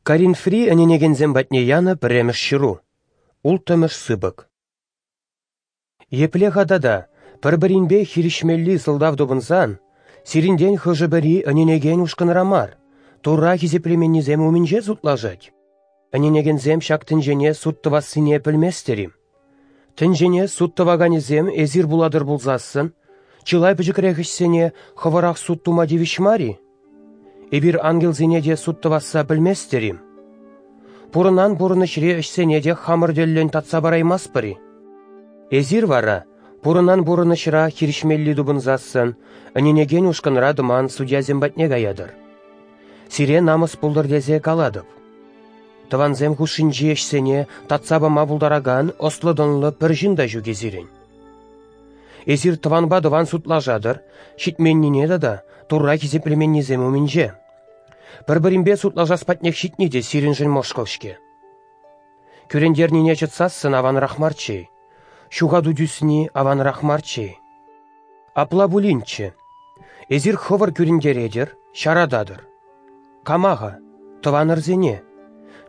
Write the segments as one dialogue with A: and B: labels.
A: Коринфри ӗненекенсем патне янӑ пӗрремӗш ҫыру, улттӑмӗш сыпӑк. Епле-ха тата, пӗр-пӗринпе хирӗҫмелли сӑлтав тупӑнсан, сирӗнтен хӑшӗ-пӗри ӗненекен ушкӑнра мар, Турра хисеплеменнисем умӗнче судлашать? Ӗненекенсем ҫак тӗнчене суд тӑвассине пӗлместӗр-им? Тӗнчене суд тӑваканӗсем эсир пулатӑр пулсассӑн, чылай пӗчӗкрех ӗҫсене хӑвӑрах суд тума тивӗҫ мар-и? Эпир ангелсене те суд тӑвасса пӗлместӗр-им? Пурӑнан пурӑнӑҫри ӗҫсене те хамӑр тӗллӗн татса параймастпӑр-и? Эсир вара, пурӑнан пурӑнӑҫра хирӗҫмелли тупӑнсассӑн, ӗненекен ушкӑнра тӑман судьясем патне каятӑр. Сире намӑс пултӑр тесе калатӑп. Тӑвансем хушшинчи ӗҫсене татса пама пултаракан ӑслӑ-тӑнлӑ пӗр ҫын та ҫук-и сирӗн? Эсир тӑванпа тӑван судлашатӑр, ҫитменнине тата Турра хисеплеменнисем умӗнче. Пӗр-пӗринпе судлашас патнех ҫитни те сирӗншӗн мӑшкӑл-ҫке. Кӳрентернине чӑтсассӑн аванрах марччӗ-и? Ҫухату тӳсни аванрах марччӗ-и? Апла пулинччӗ. Эсир хӑвӑр кӳрентеретӗр, ҫарататӑр. Кама-ха? Тӑванӑрсене.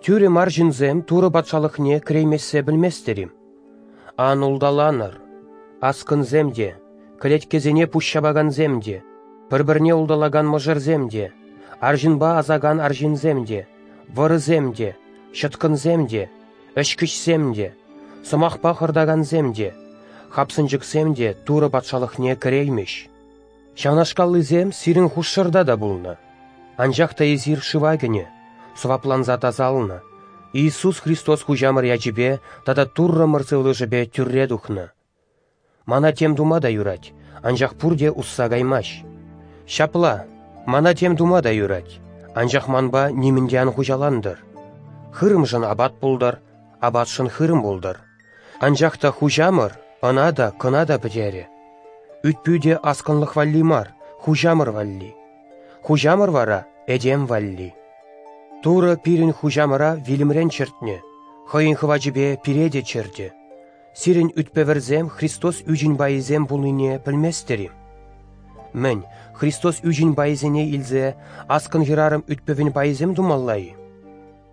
A: Тӳрӗ мар ҫынсем Турӑ патшалӑхне кӗреймессе пӗлместӗр-им? Ан улталанӑр. Аскӑнсем те, кӗлеткесене пуҫҫапакансем те, пӗр-пӗрне улталакан мӑшӑрсем те, арҫынпа асакан арҫынсем те, вӑрӑсем те, ҫӑткӑнсем те, ӗҫкӗҫсем те, сӑмахпа хӑртакансем те, хапсӑнчӑксем те Турӑ патшалӑхне кӗреймӗҫ. Ҫавнашкаллисем сирӗн хушшӑрта та пулнӑ. Анчах та эсир шыва кӗнӗ, сӑвапланса тасалнӑ, Иисус Христос Хуҫамӑр ячӗпе тата Туррӑмӑр сывлӑшӗпе тӳрре тухнӑ. Мана тем тума та юрать, анчах пурте усса каймасть. Ҫапла, мана тем тума та юрать, анчах манпа нимӗн те ан хуҫалантӑр. Хырӑмшӑн апат пултӑр, апатшӑн хырӑм пултӑр. Анчах та Хуҫамӑр ӑна та, кӑна та пӗтерӗ. Ӳт-пӳ те аскӑнлӑх валли мар, Хуҫамӑр валли. Хуҫамӑр вара этем валли. Турӑ пирӗн Хуҫамӑра вилӗмрен чӗртнӗ, хӑйӗн хӑвачӗпе пире те чӗртӗ. Сирӗн ӳт-пӗвӗрсем Христос ӳчӗн пайӗсем пулнине пӗлместӗр-и? Мӗн, Христос ӳчӗн пайӗсене илсе аскӑн хӗрарӑм ӳт-пӗвӗн пайӗсем тумалла-и?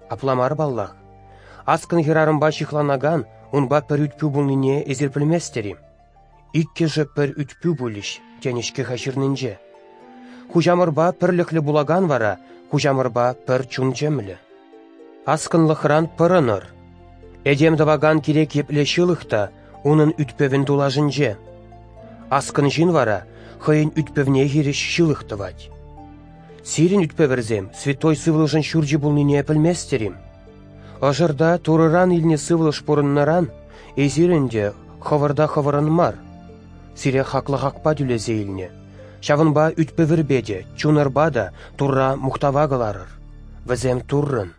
A: Апла мар паллах. Аскӑн хӗрарӑмпа ҫыхланакан унпа пӗр ӳт-пӳ пулнине эсир пӗлместӗр-и? Иккӗшӗ пӗр ӳт-пӳ пулӗҫ, тенӗ-ҫке-ха ҫырнинче. Хуҫамӑрпа пӗрлӗхлӗ пулакан вара хуҫамӑрпа пӗр чун-чӗмлӗ. Аскӑнлӑхран пӑрӑнӑр. Этем тӑвакан кирек епле ҫылӑх та унӑн ӳт-пӗвӗн тулашӗнче. Аскӑн ҫын вара хӑйӗн ӳт-пӗвне хирӗҫ ҫылӑх тӑвать. Сирӗн ӳт-пӗвӗрсем Святой Сывлӑшӑн ҫурчӗ пулнине пӗлместӗр-им? Ӑшӑрта Турӑран илнӗ сывлӑш пурӑннӑран эсир ӗнтӗ хӑвӑрта хӑвӑрӑн мар. Сире хаклӑ хакпа тӳлесе илнӗ. Ҫавӑнпа ӳт-пӗвӗрпе те, чунӑрпа та Турра мухтава кӑларӑр. Вӗсем Туррӑн.